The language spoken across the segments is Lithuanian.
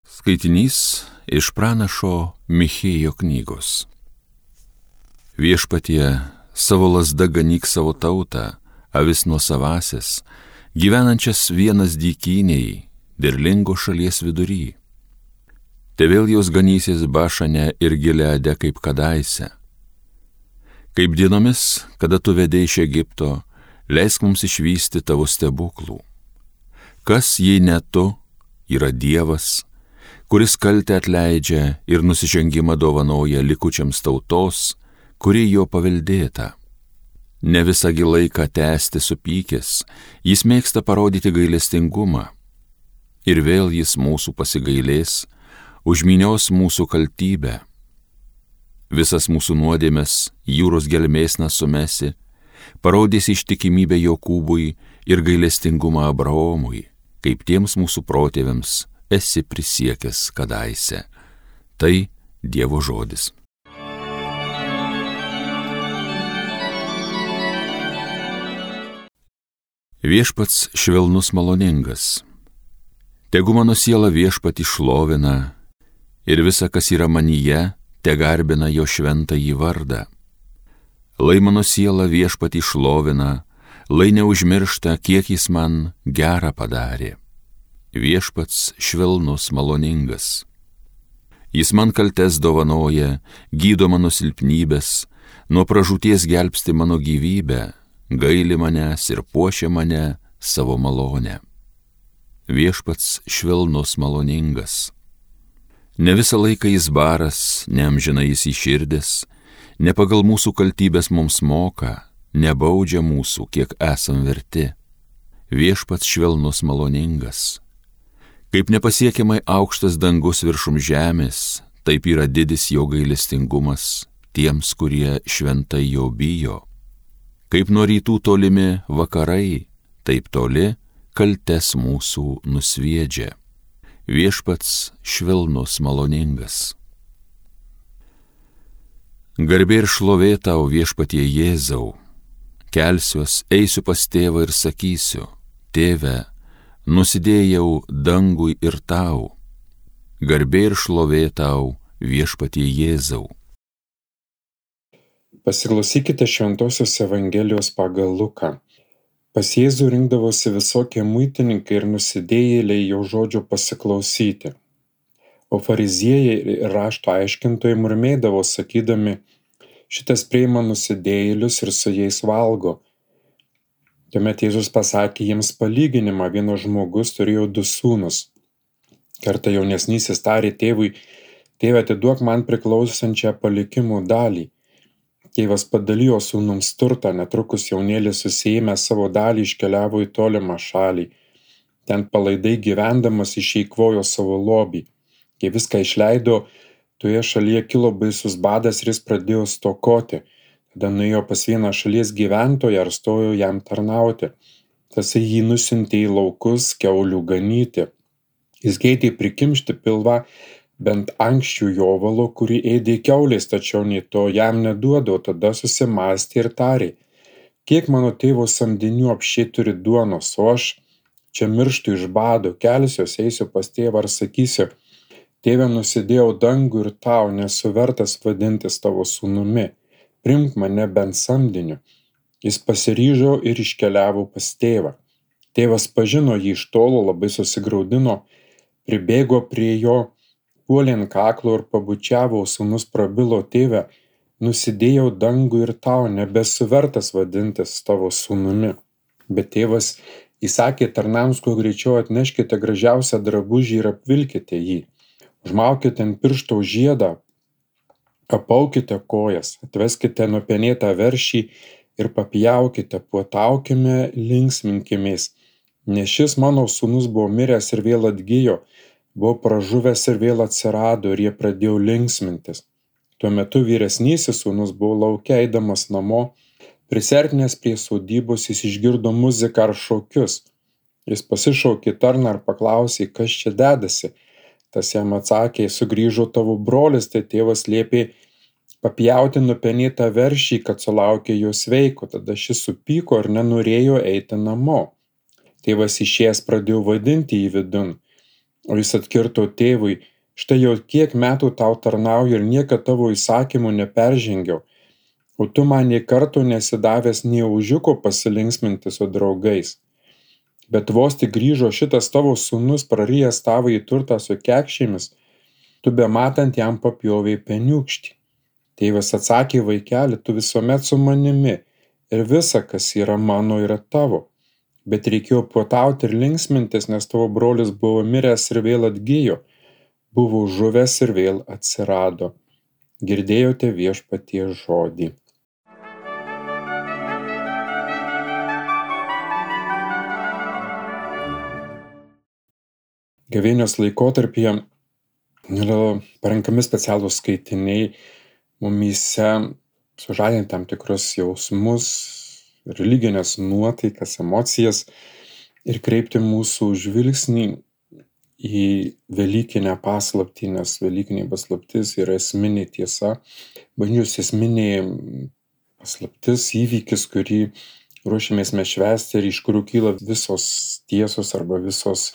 Skaitinys iš pranašo Michėjo knygos. Viešpatie, savo lazda ganyk savo tautą, avis nuosavąsias, gyvenančias vienas dykynėj, derlingo šalies vidury. Te vėl jos ganysis Bašane ir Gileade kaip kadaise. Kaip dienomis, kada tu vedei iš Egipto, leisk mums išvysti tavo stebuklų. Kas, jei ne tu, yra Dievas, kuris kaltę atleidžia ir nusižengimą dovanoja likučiams tautos, kuri jo paveldėta. Ne visągi laiką tęsti supykęs, jis mėgsta parodyti gailestingumą. Ir vėl jis mūsų pasigailės, užminios mūsų kaltybę. Visas mūsų nuodėmes jūros gelmėsna sumesi, parodys ištikimybę Jokūbui ir gailestingumą Abraomui, kaip tiems mūsų protėviams esi prisiekęs kadaise. Tai Dievo žodis. Viešpats švelnus maloningas. Tegu mano siela Viešpatį šlovina ir visa, kas yra manyje, te garbina jo šventąjį vardą. Lai mano siela Viešpatį šlovina, lai neužmiršta, kiek jis man gerą padarė. Viešpats švelnus maloningas. Jis man kaltes dovanoja, gydo mano silpnybės, nuo pražūties gelbsti mano gyvybę, gaili manęs ir puošia mane savo malonę. Viešpats švelnus maloningas. Ne visą laiką jis baras, neamžina jis įširdęs, ne pagal mūsų kaltybės mums moka, nebaudžia mūsų, kiek esam verti. Viešpats švelnus maloningas. Kaip nepasiekiamai aukštas dangus viršum žemės, taip yra didis jo gailestingumas tiems, kurie šventai jo bijo. Kaip nuo rytų tolimi vakarai, taip toli kaltes mūsų nusviedžia. Viešpats švelnus maloningas. Garbė ir šlovė tau, Viešpatie Jėzau. Kelsiuos, eisiu pas tėvą ir sakysiu: Tėve, nusidėjau dangui ir tau. Garbė ir šlovė tau, Viešpatie Jėzau. Pasiklausykite Šventosios Evangelijos pagal Luką. Pas Jėzų rinkdavosi visokie muitininkai ir nusidėjėliai jo žodžio pasiklausyti. O fariziejai ir rašto aiškintojai murmėdavo, sakydami: šitas priima nusidėjėlius ir su jais valgo. Tuomet Jėzus pasakė jiems palyginimą: vienas žmogus turėjo 2 sūnus. Kartą jaunesnysis tarė tėvui: Tėve, atiduok man priklausančią palikimo dalį. Tėvas padalijo sūnums turtą, netrukus jaunėlis susiėmęs savo dalį iškeliavo į tolimą šalį. Ten palaidai gyvendamas išeikvojo savo lobį. Kai viską išleido, toje šalyje kilo baisus badas ir jis pradėjo stokoti. Tada nuėjo pas vieną šalies gyventoją ir stojo jam tarnauti. Tasai jį nusiuntė į laukus kiaulių ganyti. Jis geidė prikimšti pilvą bent ankščių jovalo, kurį ėdė kiaulės, tačiau nei to jam neduodo. Tada susimąstė ir tarė: kiek mano tėvo samdinių apsčiai turi duonos, o aš čia mirštu iš bado. Kelsiuos, eisiu pas tėvą ir sakysiu: Tėve, nusidėjau dangų ir tau, nesu vertas vadintis tavo sūnumi. Priimk mane bent samdiniu. Jis pasiryžo ir iškeliavo pas tėvą. Tėvas pažino jį iš tolo, labai susigraudino, pribėgo prie jo, puolė ant kaklo ir pabučiavo. Sūnus prabilo: Tėve, nusidėjau dangų ir tau, nebesu vertas vadintis tavo sūnumi. Bet tėvas įsakė tarnams: kuo greičiau atneškite gražiausią drabužį ir apvilkite jį. Užmaukite ant piršto žiedą, apaukite kojas, atveskite nupenėtą veršį ir papjaukite, puotaukime, linksminkimės. Nes šis mano sūnus buvo miręs ir vėl atgijo, buvo pražuvęs ir vėl atsirado, ir jie pradėjo linksmintis. Tuo metu vyresnysis sūnus buvo lauke, eidamas namo, prisertinęs prie sodybos, jis išgirdo muziką ar šokius. Jis pasišaukė tarną ir paklausė: kas čia dedasi? Tas jam atsakė: sugrįžo tavo brolis. Tai tėvas liepė papjauti nupenėtą veršį, kad sulaukė jo sveiko. Tada šis supyko ir nenorėjo eiti namo. Tėvas išėjęs pradėjo vadinti jį vidun. O jis atkirto tėvui, štai jau kiek metų tau tarnauju ir niekad tavo įsakymų neperžengiau, o tu man nė karto nesidavęs nė ožiuko pasilinksminti su draugais. Bet vos tik grįžo šitas tavo sūnus prarijęs tavąjį turtą su kekšėmis, tu bematant jam papjovei peniukštį. Tėvas atsakė, vaikeli, tu visuomet su manimi ir visa, kas yra mano, yra tavo. Bet reikėjo puotauti ir linksmintis, nes tavo brolis buvo miręs ir vėl atgijo, buvo žuvęs ir vėl atsirado. Girdėjote viešpaties žodį. Gavėnios laikotarpyje yra parenkami specialūs skaitiniai mumyse sužadinti tam tikrus jausmus, religinės nuotaikas, emocijas ir kreipti mūsų žvilgsnį į velykinę paslaptį, nes velykinė paslaptis yra esminė tiesa, bažnyčios esminė paslaptis, įvykis, kurį ruošiamės mes švęsti ir iš kurių kyla visos tiesos arba visos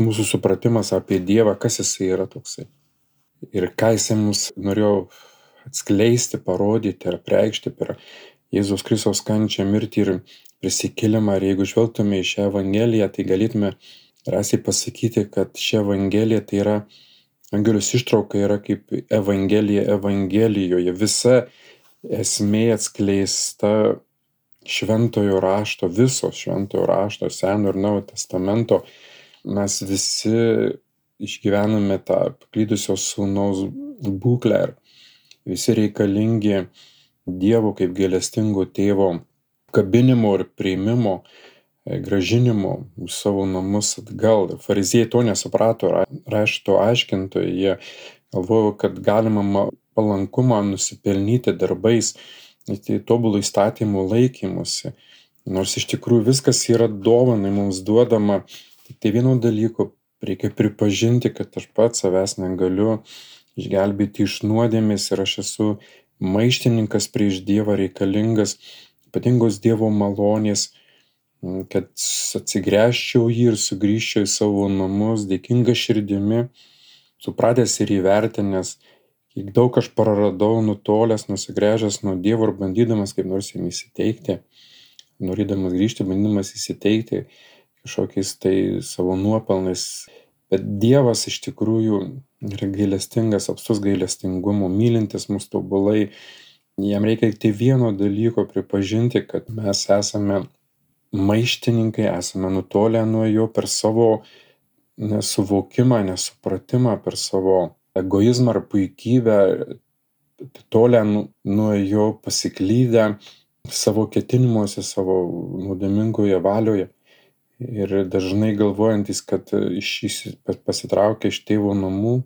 mūsų supratimas apie Dievą, kas jisai yra toksai. Ir ką jisai mums norėjo atskleisti, parodyti ar preikšti per Jėzaus Kristaus kančią, mirtį ir prisikėlimą. Ir jeigu žvelgtume į šią Evangeliją, tai galėtume drąsiai pasakyti, kad ši Evangelija tai yra, Evangelijos ištrauka yra kaip Evangelija Evangelijoje. Visa esmė atskleista šventojo rašto, viso šventojo rašto, Seno ir Naujojo testamento. Mes visi išgyvename tą paklydusio sūnaus būklę ir visi reikalingi Dievo kaip gailestingo tėvo kabinimo ir priėmimo, gražinimo į savo namus atgal. Fariziejai to nesuprato, rašto aiškintojai, jie galvojo, kad galima palankumą nusipelnyti darbais, tai tobulų įstatymų laikymusi. Nors iš tikrųjų viskas yra dovanai mums duodama. Tai vieno dalyko reikia pripažinti, kad aš pats savęs negaliu išgelbėti iš nuodėmės ir aš esu maištininkas prieš Dievą, reikalingas ypatingos Dievo malonės, kad atsigręžčiau jį ir sugrįžčiau į savo namus dėkinga širdimi, supratęs ir įvertinęs, kiek daug aš praradau nutolęs, nusigręžęs nuo Dievo ir bandydamas kaip nors jam įsiteikti, norėdamas grįžti, bandydamas įsiteikti kažkokiais tai savo nuopelnais. Bet Dievas iš tikrųjų yra gailestingas, apstus gailestingumo, mylintis mus tobulai. Jam reikia tik vieno dalyko pripažinti, kad mes esame maištininkai, esame nutolę nuo jo per savo nesuvokimą, nesupratimą, per savo egoizmą ar puikybę, tolę nuo jo pasiklydę savo ketinimuose, savo nuodėmingoje valioje. Ir dažnai galvojantis, kad pasitraukę iš tėvo namų,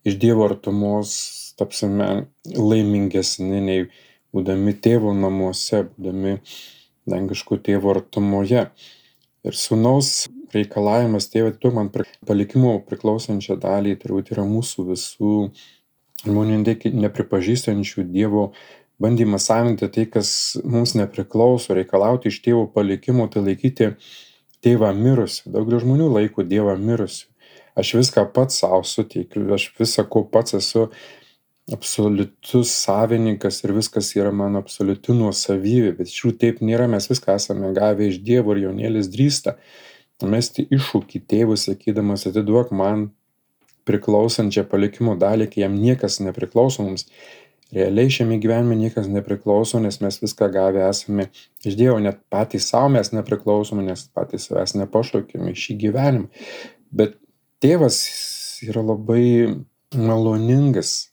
iš Dievo artumos tapsime laimingesni nei būdami tėvo namuose, būdami dangiško tėvo artumoje. Ir sūnaus reikalavimas, tėve, tu man palikimo priklausančią dalį, turbūt yra mūsų visų žmonių nepripažįstančių Dievo bandymas savinti tai, kas mums nepriklauso, reikalauti iš tėvo palikimo, tai laikyti tėvą mirusiu. Daugelio žmonių laiko Dievą mirusiu. Aš viską pats savo suteikiu, aš visą, ko pats esu absoliutus savininkas ir viskas yra mano absoliuti nuosavybė. Bet iš tikrųjų taip nėra, mes viską esame gavę iš Dievo ir jaunėlis drįsta mesti iššūkį tėvui, sakydamas, atiduok man priklausančią palikimo dalį, kai jam niekas nepriklauso mums. Realiai šiame gyvenime niekas nepriklauso, nes mes viską gavę esame iš Dievo, net patys savo mes nepriklausome, nes patys savęs nepašaukėme į šį gyvenimą. Bet tėvas yra labai maloningas,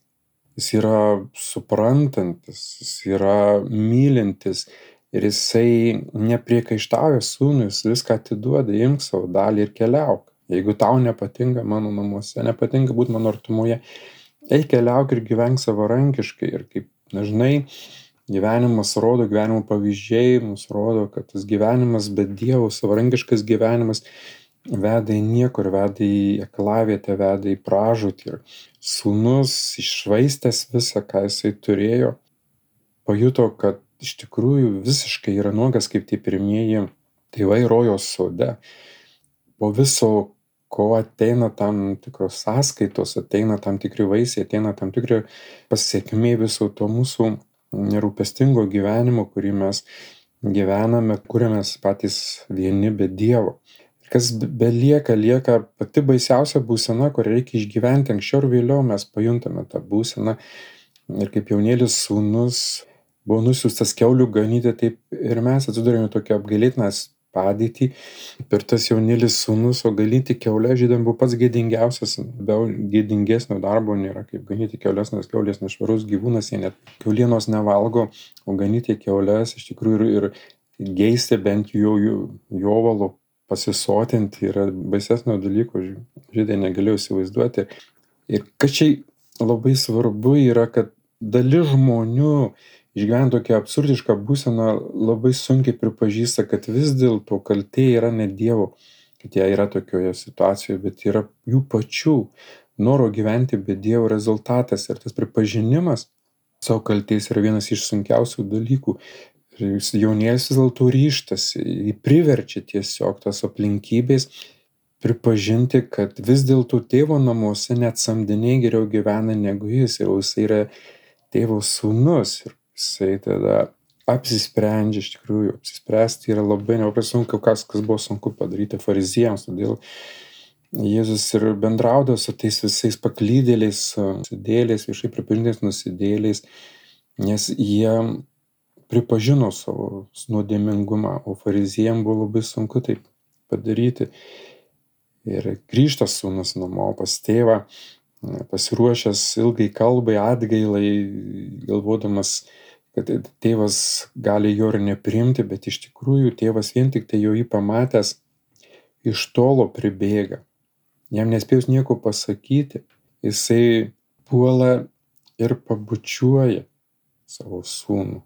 jis yra suprantantis, jis yra mylintis ir jisai nepriekaištauja sūnui, jis viską atiduoda, imk savo dalį ir keliauk. Jeigu tau nepatinka mano namuose, nepatinka būti mano artumoje, eik keliauk ir gyvenk savarankiškai. Ir kaip dažnai gyvenimas rodo, gyvenimo pavyzdžiai mums rodo, kad tas gyvenimas be Dievo, savarankiškas gyvenimas veda į niekur, veda į aklavietę, veda į pražūtį. Ir sūnus iššvaistęs visą, ką jisai turėjo, pajuto, kad iš tikrųjų visiškai yra nuogas kaip tie pirmieji tėvai rojaus sode. Po viso, ko ateina tam tikros sąskaitos, ateina tam tikri vaisiai, ateina tam tikri pasiekmė viso to mūsų nerūpestingo gyvenimo, kurį mes gyvename, kuriamės patys vieni be Dievo. Kas belieka, lieka pati baisiausia būsena, kur reikia išgyventi. Anksčiau ir vėliau mes pajuntame tą būseną. Ir kaip jaunėlis sūnus buvo nusiųstas kiaulių ganyti, taip ir mes atsidūrėme tokią apgailėtiną padėtį. Per tas jaunėlis sūnus, o ganyti kiaulę žydams buvo pats gėdingiausias, be gėdingesnio darbo nėra, kaip ganyti kiaulės, nes kiaulės nešvarus gyvūnas, jie net kiaulienos nevalgo, o ganyti kiaulės iš tikrųjų ir geisti bent jovalo pasisotinti yra baisesnio dalyko, žydai negalėjo įsivaizduoti. Ir kas čia labai svarbu yra, kad dalis žmonių išgyvena tokią absurdišką būseną, labai sunkiai pripažįsta, kad vis dėlto kaltė yra ne Dievo, kad jie yra tokioje situacijoje, bet yra jų pačių noro gyventi be Dievo rezultatas. Ir tas pripažinimas savo kaltės yra vienas iš sunkiausių dalykų. Ir jaunėlis vis dėlto ryžtasi, jį priverčia tiesiog tas aplinkybės pripažinti, kad vis dėlto tėvo namuose net samdiniai geriau gyvena negu jis, ir jis yra tėvo sūnus, ir jisai tada apsisprendžia, iš tikrųjų, apsispręsti yra labai sunku, kas buvo sunku padaryti fariziejams, todėl Jėzus ir bendraudavo su tais visais paklydėliais, nusidėliais, viešai pripažintais nusidėliais, nes jie pripažino savo nuodėmingumą, o fariziejams buvo labai sunku tai padaryti. Ir grįžta sūnus namo pas tėvą, pasiruošęs ilgai kalbai, atgailai, galvodamas, kad tėvas gali jo ir nepriimti, bet iš tikrųjų tėvas vien tik tai jau jį pamatęs iš tolo pribėga. Jam nespėjus nieko pasakyti, jisai puola ir pabučiuoja savo sūnų.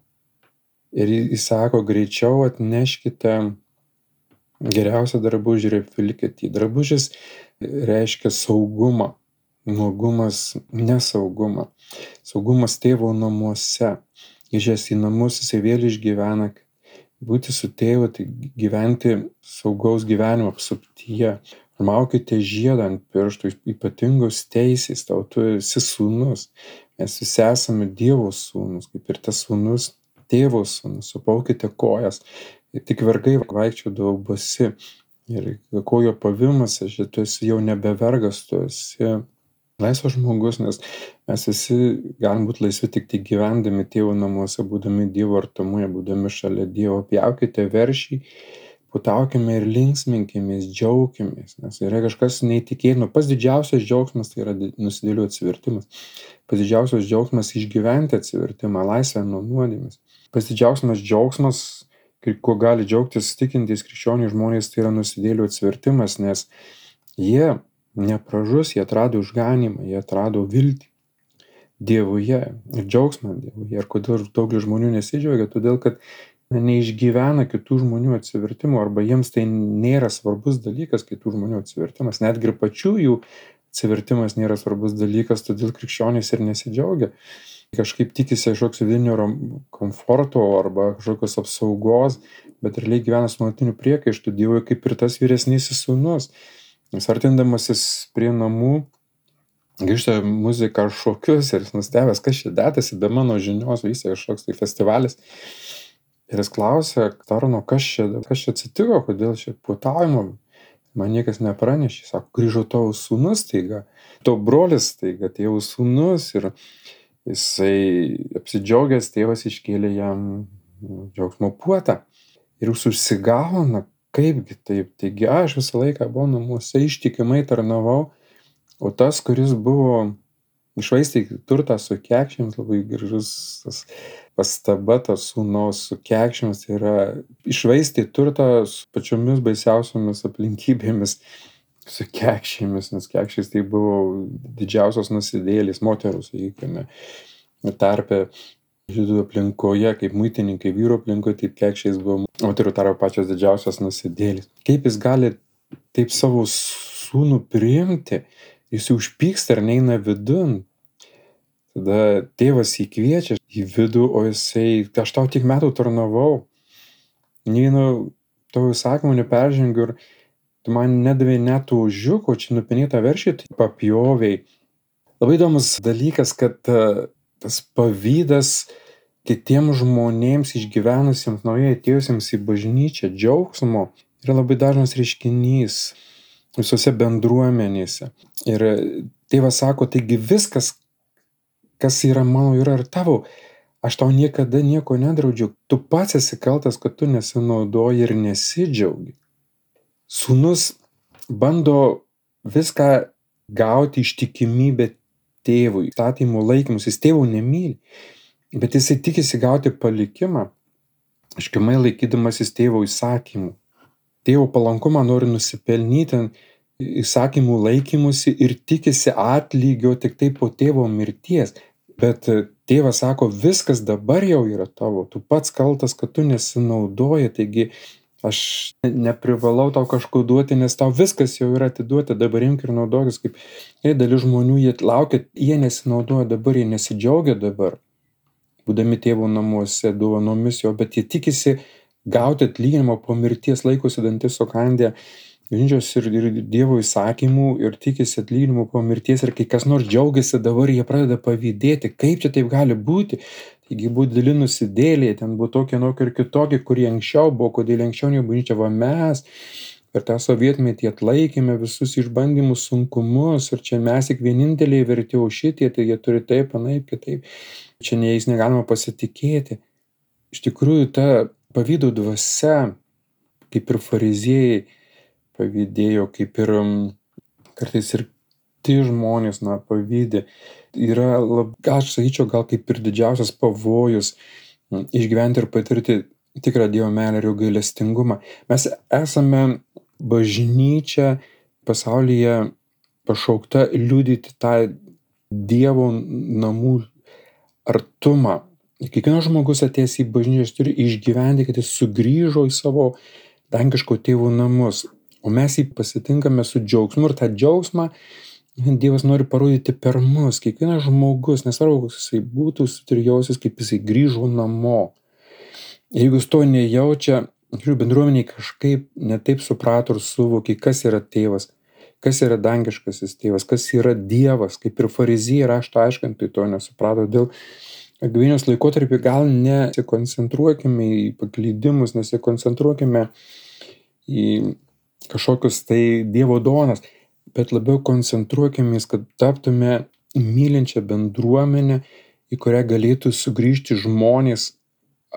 Ir jis sako, greičiau atneškite geriausią drabužį ir apvilkite jį. Drabužis reiškia saugumą, nuogumas nesaugumą. Saugumas tėvo namuose. Grįžęs į namus, jisai vėl išgyvena, būti su tėvu, tai gyventi saugaus gyvenimo apsuptyje. Maukite žiedą ant pirštų, ypatingos teisės, tau tu esi sūnus. Mes visi esame Dievo sūnus, kaip ir tas sūnus tėvo sūnus. Supaukite kojas. Ir tik vergai vaikščiodavo basi. Ir kojo pavimas, tu esi jau nebe vergas, tu esi laisvas žmogus, nes mes visi galim būti laisvi tik gyvendami tėvo namuose, būdami Dievo artumoje, būdami šalia Dievo. Pjaukite veršį, putaukime ir linksminkimės, džiaukimės, nes yra kažkas neįtikėtino. Pats didžiausias džiaugsmas tai yra nusidėlių atsivertimas. Pats didžiausias džiaugsmas išgyventi atsivertimą, laisvę nuo nuodėmės. Pats didžiausias džiaugsmas, kuo gali džiaugtis tikintys krikščioniai žmonės, tai yra nusidėlių atsivertimas, nes jie nepražus, jie atrado išganymą, jie atrado viltį Dievuje ir džiaugsmą Dievuje. Ir kodėl daugelis žmonių nesidžiaugia? Todėl, kad neišgyvena kitų žmonių atsivertimo, arba jiems tai nėra svarbus dalykas, kitų žmonių atsivertimas. Netgi ir pačių jų atsivertimas nėra svarbus dalykas, todėl krikščionys ir nesidžiaugia. Kažkaip tikisi kažkoks vidinio komforto arba kažkokios apsaugos, bet realiai gyvena su nuolatiniu priekaištu Dievui, kaip ir tas vyresnysis sūnus. Jis artindamasis prie namų, grįžta muzika ar šokius ir jis nustebęs, kas čia dėtasi, be mano žinios vyksta kažkoks tai festivalis. Ir jis klausia tarno, kas čia atsitiko, kodėl čia puotavimo, man niekas nepranešė. Sako, grįžo tavo sūnus staiga, tavo brolis staiga, tėvo sūnus, ir jisai apsidžiaugęs, tėvas iškėlė jam džiaugsmo puotą. Ir jis užsigauna, kaipgi taip, taigi aš visą laiką buvau namuose, ištikimai tarnavau, o tas, kuris buvo iššvaistė turtą su kekšėmis, labai gražus tas pastaba, tas sūnaus su kekšėmis, tai yra iššvaistė turtą su pačiomis baisiausiomis aplinkybėmis, su kekšėmis, nes kekšės tai buvo didžiausios nusidėlės moterų, sakykime, tarpe žydų aplinkoje, kaip muitininkai vyro aplinkoje, taip kekšės buvo moterų tarpe pačios didžiausios nusidėlės. Kaip jis gali taip savo sūnų priimti, jis užpyksta ir neina vidun. Tada tėvas jį kviečia į vidų, o jisai, aš tau tik metų tarnavau, nei vieno tavo įsakymų neperžengiu, ir tu man nedavei net ožiuko, čia nupinėtą veršį, tai papjoviai. Labai įdomus dalykas, kad tas pavydas kitiems žmonėms išgyvenusiems, naujai atėjusiems į bažnyčią, džiaugsmo, yra labai dažnas reiškinys visose bendruomenėse. Ir tėvas sako, taigi viskas, kas yra mano, yra ir tavo. Aš tau niekada nieko nedraudžiu. Tu pats esi kaltas, kad tu nesinaudoji ir nesidžiaugi. Sūnus bando viską gauti ištikimybę tėvui, įstatymų laikymus. Jis tėvų nemyli, bet jisai tikisi gauti palikimą, iškimai laikydamasis tėvo įsakymų. Tėvo palankumą nori nusipelnyti įsakymų laikymusi ir tikisi atlygio tik tai po tėvo mirties. Bet tėvas sako, viskas dabar jau yra tavo, tu pats kaltas, kad tu nesinaudoji, taigi aš neprivalau tau kažko duoti, nes tau viskas jau yra atiduota, dabar imk ir naudokis, kaip dalis žmonių, jie laukia, jie nesinaudoja dabar, jie nesidžiaugia dabar, būdami tėvo namuose, dovanomis jo, bet jie tikisi gauti atlyginimą po mirties, laikosi dantis sukandę bažnyčios ir Dievo įsakymų ir tikisi atlyginimų po mirties, ir kai kas nors džiaugiasi dabar, jie pradeda pavydėti, kaip čia taip gali būti. Taigi buvo dideli nusidėliai, ten buvo tokie ir kitokie, kurie anksčiau buvo, kodėl anksčiau ne bažnyčia, va mes per tą sovietmetį atlaikėme visus išbandymus, sunkumus, ir čia mes tik vieninteliai verti, o šitie, tai jie turi taip, anaip, kitaip. Čia jais negalima pasitikėti. Iš tikrųjų, ta pavydo dvasia, kaip ir fariziejai pavydėjo, kaip ir kartais ir tie žmonės, pavydė, yra, aš sakyčiau, gal kaip ir didžiausias pavojus išgyventi ir patirti tikrą Dievo meilę ir jo gailestingumą. Mes esame bažnyčia pasaulyje pašaukta liudyti tą Dievo namų artumą. Kiekvienas žmogus atėjęs į bažnyčią turi išgyventi, kad jis sugrįžo į savo dangiško tėvo namus. O mes jį pasitinkame su džiaugsmu, ir tą džiaugsmą Dievas nori parodyti per mus. Kiekvienas žmogus, nesvarbu, koks jisai būtų, turi jaustis, kaip jisai grįžo namo. Jeigu jis to nejaučia, bendruomeniai kažkaip netaip suprato ir suvokė, kas yra tėvas, kas yra dangiškasis tėvas, kas yra Dievas, kaip ir fariziejai rašto aiškintojai to nesuprato. Dėl gavėnios laikotarpį gal nesikoncentruokime į paklydimus, nesikoncentruokime į kažkokius tai Dievo dovanas, bet labiau koncentruokimės, kad taptume mylinčią bendruomenę, į kurią galėtų sugrįžti žmonės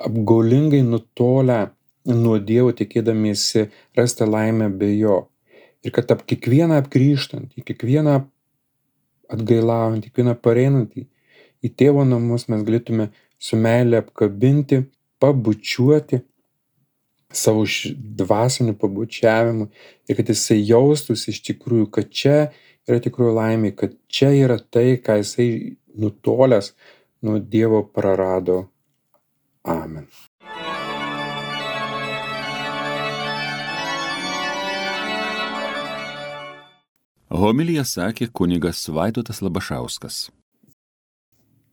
apgaulingai nutolę nuo Dievo, tikėdamiesi rasti laimę be jo. Ir kad kiekvieną apgrįžtant, kiekvieną atgailaujant, kiekvieną pareinantį į tėvo namus mes galėtume su meile apkabinti, pabučiuoti savo dvasiniu pabučiavimu, ir kad jisai jaustųsi iš tikrųjų, kad čia yra tikrųjų laimė, kad čia yra tai, ką jisai nutolęs nuo Dievo prarado. Amen. Homiliją sakė kunigas Vaidotas Labašauskas.